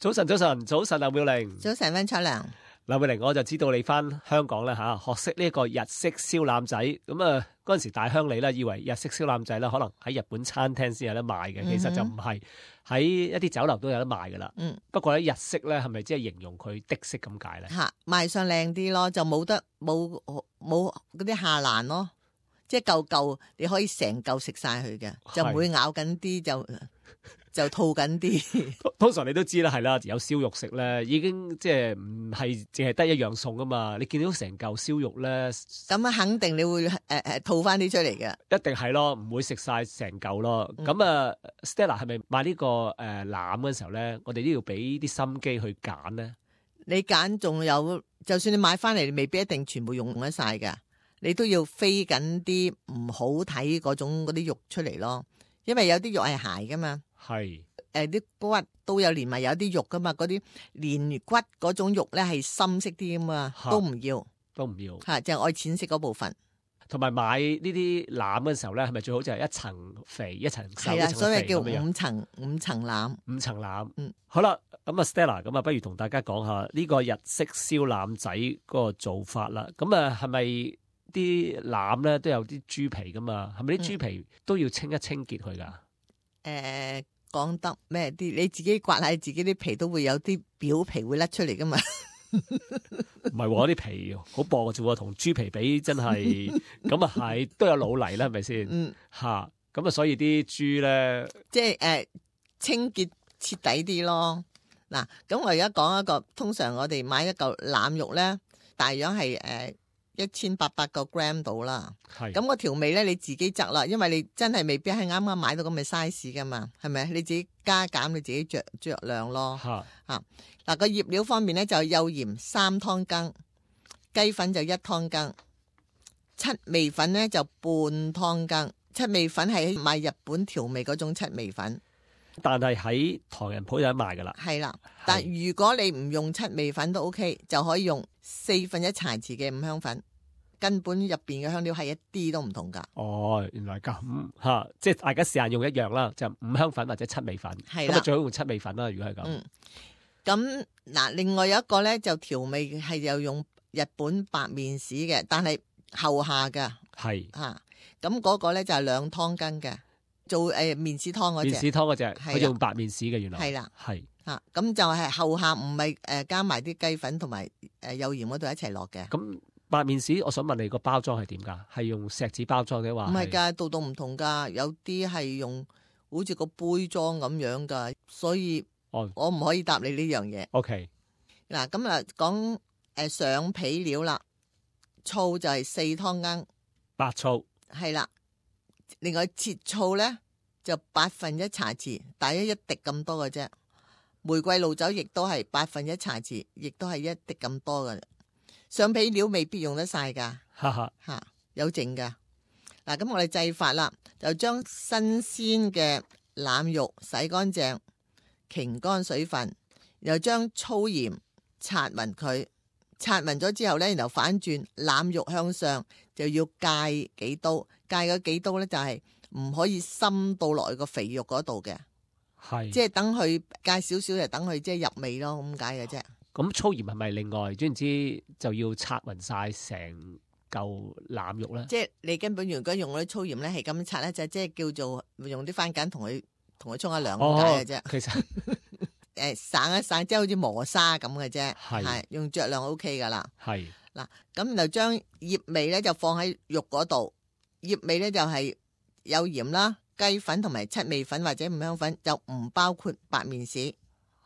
早晨，劉妙玲。早晨，溫楚良。劉妙玲，我就知道你翻香港咧學識呢個日式燒腩仔。咁啊，嗰陣時大鄉里咧，以為日式燒腩仔咧，可能喺日本餐廳先有得賣嘅，其實就唔係，喺一啲酒樓都有得賣噶啦。不過咧，日式咧係咪即係形容佢的式咁解咧？賣相靚啲咯，就冇嗰啲下欄咯，即係嚿你可以成嚿食晒佢嘅，就唔會咬緊啲就吐緊啲。通常你都知啦，係啦，有燒肉食咧，已經即係唔係淨係得一樣餸啊嘛。你見到成嚿燒肉咧，咁肯定你會吐翻啲出嚟嘅。一定係咯，唔會食晒成嚿咯。咁Stella 係咪買呢個腩嘅時候咧，我哋都要俾啲心機去揀咧？你揀仲有，就算你買翻嚟，你未必一定全部用得晒㗎。你都要飛緊啲唔好睇嗰啲肉出嚟咯，因為有啲肉係鞋噶嘛。係啲骨都有連埋有啲肉噶嘛，嗰啲連骨嗰種肉咧係深色啲噶嘛，都唔要吓，就係愛淺色嗰部分。同埋買呢啲腩嘅時候咧，係咪最好就係一層肥一層瘦？係啦，所以叫五層腩。五層腩。好啦，咁啊 Stella，咁啊不如同大家講下呢個日式燒腩仔嗰個做法啦。咁啊係咪啲腩咧都有啲豬皮噶嘛？係咪啲豬皮都要清一清潔佢噶？講得咩啲？你自己刮下自己啲皮，都會有啲表皮會甩出嚟噶嘛？唔係喎，啲皮好薄嘅啫喎，同豬皮比真係咁啊係都有老泥啦，係咪先？吓咁啊，所以啲豬咧，即係清潔徹底啲咯。嗱，咁我而家講一個，通常我哋買一嚿腩肉咧，大約係1800個 gram 到啦。係咁個調味咧，你自己擇啦，因為你真係未必係啱啱買到咁嘅 size 噶嘛，係咪？你自己加減，你自己酌量咯。嗱，個醃料方面咧，就幼鹽3湯羹，雞粉就1湯羹，七味粉咧就半湯羹。七味粉係賣日本調味嗰種七味粉，但係喺唐人鋪有得賣噶啦。係啦，但如果你唔用七味粉都 OK， 就可以用1/4茶匙嘅五香粉，根本入邊嘅香料係一啲都唔同噶。哦，原來咁吓，即係大家試下用一樣啦，就五香粉或者七味粉。係啦，咁啊最好用七味粉啦。如果係咁，咁嗱，另外有一個咧就調味係又用日本白麵豉嘅，但係後下噶。係吓，咁嗰個咧就係2湯羹嘅，做麵豉湯嗰隻。麵豉湯嗰隻，佢用白麵豉嘅原來。係啦，係吓，咁就係後下唔係加埋啲雞粉同埋幼鹽嗰度一齊落嘅。咁白麵豉，我想問你個包裝係點噶？係用錫紙包裝嘅話？唔係噶，度唔同噶，有啲係用好似個杯裝咁樣噶，所以我唔可以答你呢樣嘢。OK， 嗱，咁啊講上皮料啦，醋就係4湯羹。白醋係啦，另外切醋咧就1/8茶匙，大約1滴咁多嘅啫。玫瑰露酒亦都係1/8茶匙，亦都係1滴咁多嘅。上皮料未必用得晒噶，有剩噶。嗱，咁我哋製法啦，就將新鮮嘅腩肉洗乾淨，擎乾水分，然後將粗鹽擦勻佢。擦勻咗之後咧，然後反轉腩肉向上，就要戒幾刀，戒嗰幾刀咧就係唔可以深到落去個肥肉嗰度嘅，係即係等佢戒少少，就等佢即係入味咯，咁解嘅啫。咁粗鹽係咪另外？總言之就要擦勻晒成嚿腩肉咧？即係你根本如果用嗰啲粗鹽咧，係咁擦咧，就即係叫做用啲番梘同佢沖下涼咁解嘅啫。其實。散一散，即係好似磨砂咁嘅啫，係用酌量 OK 噶啦。係嗱，咁就將醃味咧就放喺肉嗰度，醃味咧就係有鹽啦、雞粉同埋七味粉或者五香粉，就唔包括白麵豉。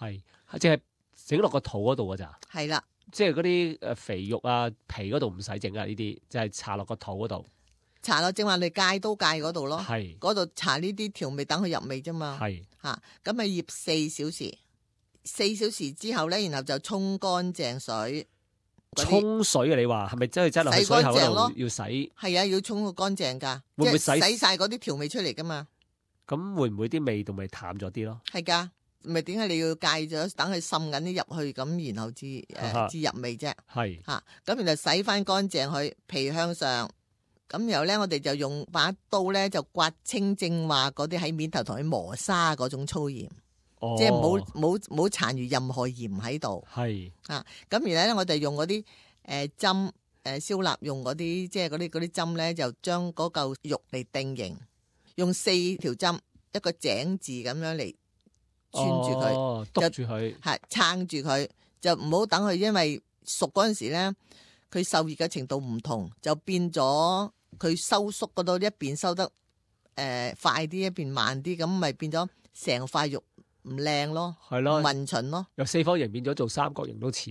係即係整落個肚嗰度噶咋？係啦，即係嗰啲肥肉啊皮嗰度唔使整啊，呢啲就係搽落個肚嗰度。搽落正話你戒刀戒嗰度咯，係嗰度搽呢啲調味，等佢入味啫嘛。係吓，咁咪醃4小時。4小時之後咧，然後就沖乾淨水。沖水啊？你話係咪真係擠落去水喉度要洗？係啊，要沖個乾淨噶，會唔會洗晒嗰啲調味出嚟噶嘛？咁會唔會啲味道咪淡咗啲咯？係噶，咪點解你要戒咗，等佢滲緊啲入去，咁然後至入味啫？係吓，咁然後洗翻乾淨佢，皮向上，咁然後咧，我哋就用把刀咧就刮清正話嗰啲喺面頭同佢磨砂嗰種粗鹽。即係冇殘餘任何鹽喺度。係啊，咁而咧我哋用嗰啲針燒臘用嗰啲即係嗰啲針咧，就將嗰嚿肉嚟定型，用4條針一個井字咁樣嚟穿住佢，篤住佢，係撐住佢，就唔好等佢因為熟嗰陣時咧，佢受熱嘅程度唔同，就變咗佢收縮嗰度一邊收得快啲，一邊慢啲，咁咪變咗成塊肉唔靚咯，係咯，唔勻循咯，由四方形變咗做三角形都似，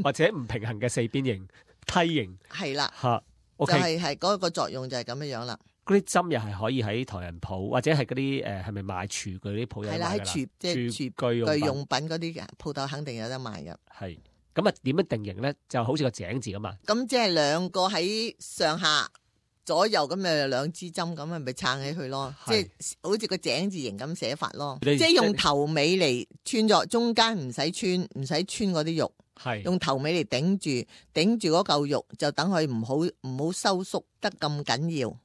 或者唔平衡嘅四邊形、梯形，係啦，嚇就係嗰個作用就係咁樣樣啦。嗰啲針又係可咁喺唐人鋪或者係嗰啲係咪賣廚具啲鋪有賣㗎啦？係啦，喺廚具用品嗰啲鋪頭肯定有得賣㗎。係咁啊？點樣定型咧？就好似個井字咁嘛。咁即係兩個喺上下左右咁咪兩支針咁咪撐起佢咯，即係好似個井字形咁寫法咯。即係用頭尾嚟穿咗，中間唔使穿嗰啲肉，係用頭尾嚟頂住嗰嚿肉，就等佢唔好收縮得咁緊要，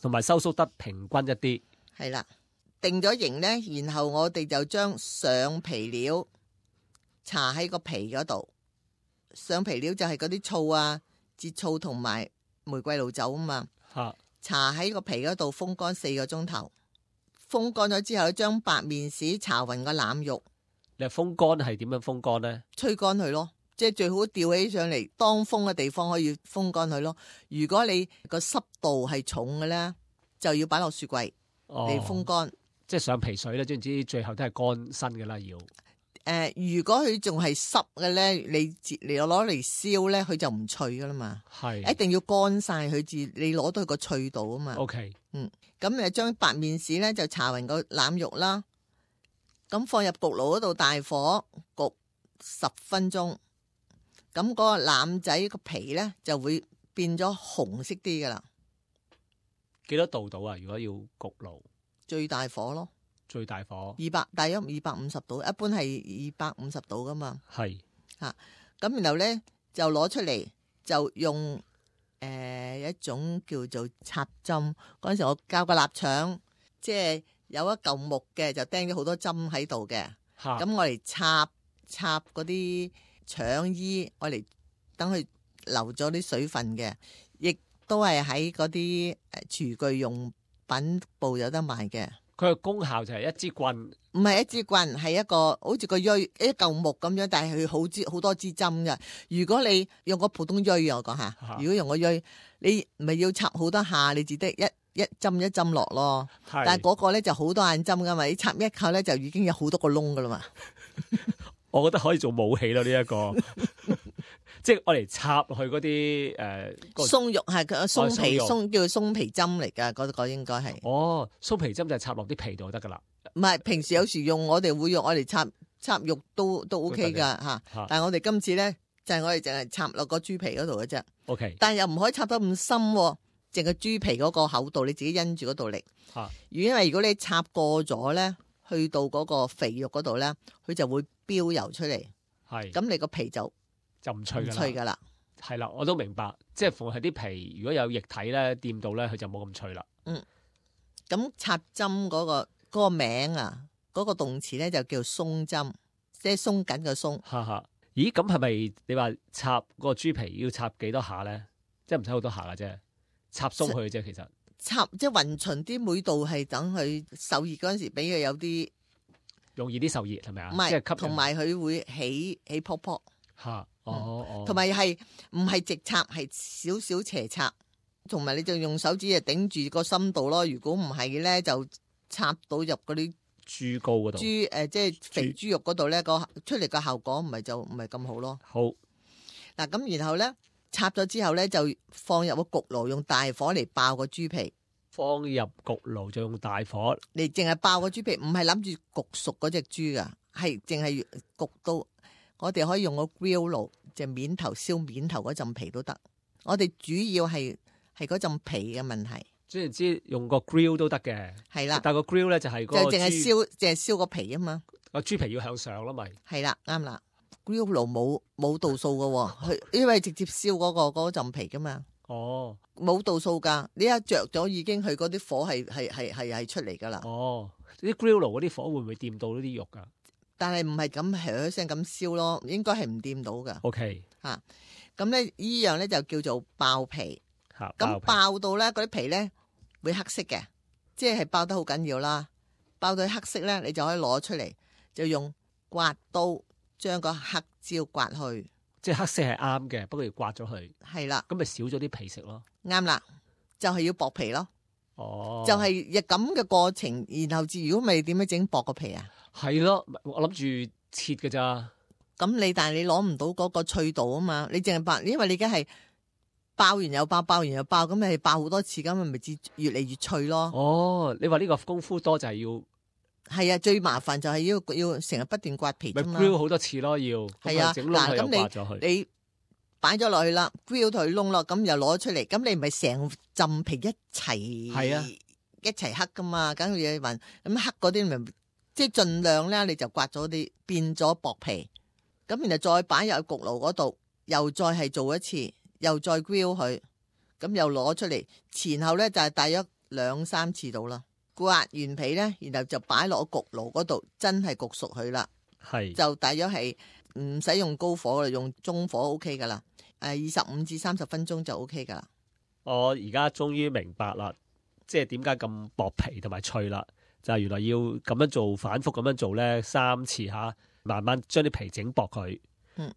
同埋收縮得平均一啲。係啦，定咗型咧，然後我哋就將上皮料搽喺個皮嗰度。上皮料就係嗰啲醋啊、節醋同埋玫瑰露酒啊嘛。搽喺個皮嗰度風乾4個鐘頭，風乾咗之後，將白面豉搽勻個腩肉。你話風乾係點樣風乾咧？吹乾佢咯，即係最好吊起上嚟，當風嘅地方可以風乾佢咯。如果你個濕度係重嘅咧，就要擺落雪櫃嚟風乾。即係上皮水咧，總之最後都係乾身嘅啦，要。如果佢仲係濕嘅咧，你攞嚟燒咧，佢就唔脆噶啦嘛。係，一定要乾晒佢至你攞到佢個脆度啊嘛。OK，咁將白面豉咧就搽勻個腩肉啦，咁放入焗爐嗰度大火焗10分鐘，咁嗰個腩仔個皮咧就會變咗紅色啲噶啦。幾多度到啊？如果要焗爐，最大火咯。最大火大約250度，一般係250度噶嘛。係咁然後咧就攞出嚟，就用一種叫做插針。嗰陣時我教個臘腸，即係有一嚿木嘅，就釘咗好多針喺度嘅。咁我嚟插嗰啲腸衣，我嚟等佢流咗啲水分嘅，亦都係喺嗰啲廚具用品部有得賣嘅。佢嘅功效就係一支棍，唔係一支棍，係一個好似個錐一嚿木咁樣，但係佢好多支針嘅。如果你用個普通錐，我講下，如果用個錐，你咪要插好多下，你只得一針一針落咯。但係嗰個咧就好多眼針噶嘛，你插一扣咧就已經有好多個窿噶啦嘛。我覺得可以做武器咯，呢一個。即係我嚟插落去嗰啲鬆肉係鬆皮鬆叫鬆皮針嚟㗎，嗰個應該係。哦，鬆皮針就係插落啲皮度就得㗎啦。唔係，平時有時我哋會用我嚟插肉都 OK 㗎嚇。但係我哋今次咧就係我哋淨係插落個豬皮嗰度嘅啫。OK。但係又唔可以插得咁深，淨係豬皮嗰個厚度你自己因住嗰度力。因為如果你插過咗咧，去到嗰個肥肉嗰度咧，佢就會飆油出嚟。係。咁你個皮就唔脆噶啦，係啦，我都明白，即係逢係啲皮如果有液體咧掂到咧，佢就冇咁脆啦。咁插針嗰個名啊，嗰個動詞咧就叫鬆針，即係鬆緊個鬆。咦，咁係咪你話插個豬皮要插幾多下咧？即係唔使好多下噶啫，插鬆佢啫，其實插即係勻循啲，每度係等佢受熱嗰陣時，俾佢有啲容易啲受熱，係咪啊？唔係，同埋佢會起泡泡。同埋係唔係直插，係少少斜插，同埋你就用手指啊頂住個深度咯。如果唔係咧，就插到入嗰啲豬膏嗰度，即係肥豬肉嗰度咧，個出嚟個效果唔係咁好咯。好嗱，咁然後咧插咗之後咧，就放入個焗爐，用大火嚟爆個豬皮。放入焗爐就用大火，你淨係爆個豬皮，唔係諗住焗熟嗰隻豬噶，係淨係焗到。我哋可以用個 grill 爐，就面頭燒面頭嗰陣皮都得。我哋主要係嗰陣皮嘅問題。總言之，用個 grill 都得嘅。係啦，但係個 grill 咧就係個就淨係燒個皮啊嘛。個豬皮要向上咯，咪係啦，啱啦。grill 爐冇度數嘅，佢因為直接燒嗰陣皮噶嘛。冇度數噶，你一着咗已經佢嗰啲火係出嚟噶啦。啲 grill 爐嗰啲火會唔會掂到呢啲肉㗎但係唔係咁響聲咁燒咯，應該係唔掂到噶。 ？OK 咁咧呢樣咧就叫做爆皮。嚇，咁皮爆到咧嗰啲皮咧會黑色嘅，即係爆得好緊要啦。爆到黑色咧，你就可以攞出嚟，就用刮刀將個黑椒刮去。即係黑色係啱嘅，不過要刮咗佢，係啦，咁咪少咗啲皮食咯。啱啦，就係要薄皮咯。哦，就係咁嘅過程，然後如果咪點樣整薄個皮啊？係咯，我諗住切㗎咋。咁但係你攞唔到嗰個脆度啊嘛，你淨係爆，因為你而家係爆完又爆，爆完又爆，咁你係爆好多次，咁咪至越嚟越脆咯。哦，你話呢個功夫多就係要係啊，最麻煩就係要成日不斷刮皮咪啫嘛。 grill 好多次咯，要係啊，整窿佢又咁刮咗佢。你擺咗落去啦 grill 佢窿咯，咁又攞出嚟，咁你唔係成浸皮一齊係啊一齊黑噶嘛，梗係要混咁黑嗰啲咪即係盡量咧，你就刮咗啲變咗薄皮，咁然後再擺入焗爐嗰度，又再係做一次，又再 grill 佢，咁又攞出嚟，前後咧就係大約2-3次到啦。刮完皮咧，然後就擺落焗爐嗰度，真係焗熟佢啦。係就大約係唔使用高火啦，用中火 OK 噶啦。25至30分鐘就 OK 噶啦。我而家終於明白啦，即係點解咁薄皮同埋脆啦，就係原來要咁樣做，反覆咁樣做咧3次嚇，慢慢將啲皮整薄佢，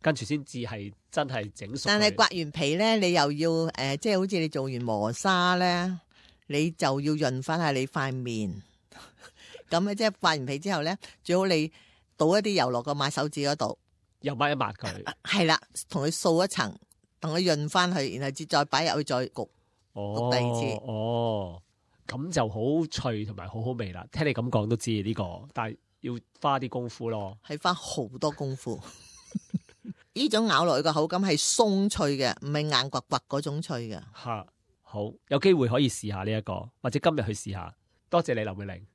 跟住先至係真係整熟佢。但係刮完皮咧，你又要即係好似你做完磨砂咧，你就要潤翻下你塊面。咁咧即係刮完皮之後咧，最好你倒一啲油落個抹手指嗰度，又抹一抹佢。係啦，同佢掃一層，同佢潤翻去，然後再擺入去再焗。哦，第二次哦，咁就好脆同埋好好味啦。聽你咁講都知呢個，但係要花啲功夫咯。係花好多功夫。呢種咬落去個口感係鬆脆嘅，唔係硬刮刮嗰種脆嘅。嚇，好，有機會可以試下呢一個，或者今日去試下。多謝你，林永玲。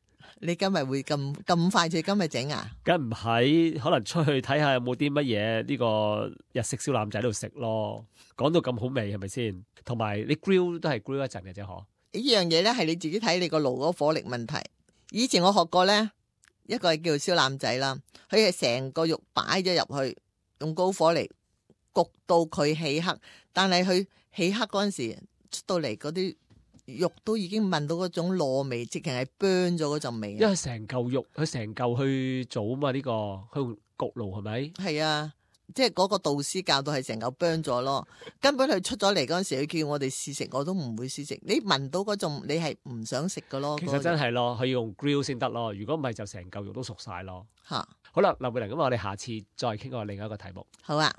你今日會咁快脆今日整啊？梗唔係，可能出去睇下有冇啲乜嘢呢個日式燒腩仔喺度食咯。講到咁好味係咪先？同埋你 grill 都係 grill 一陣嘅啫，嗬？呢樣嘢咧係你自己睇你個爐嗰火力問題。以前我學過咧，一個係叫燒腩仔啦，佢係成個肉擺咗入去，用高火嚟焗到佢起黑，但係佢起黑嗰陣時出到嚟嗰啲肉都已經聞到嗰種糯味，直情係 burn 咗嗰陣味。因為成嚿肉，佢成嚿去做啊嘛，呢個佢用焗爐係咪？係啊，即係嗰個導師教到係成嚿 burn 咗咯。根本佢出咗嚟嗰陣時，佢叫我哋試食，我都唔會試食。你聞到嗰種，你係唔想食噶咯。其實真係咯，佢要用 grill 先得咯。如果唔係，就成嚿肉都熟晒咯。嚇，好啦，林永玲，咁我哋下次再傾過另一個題目。好啊。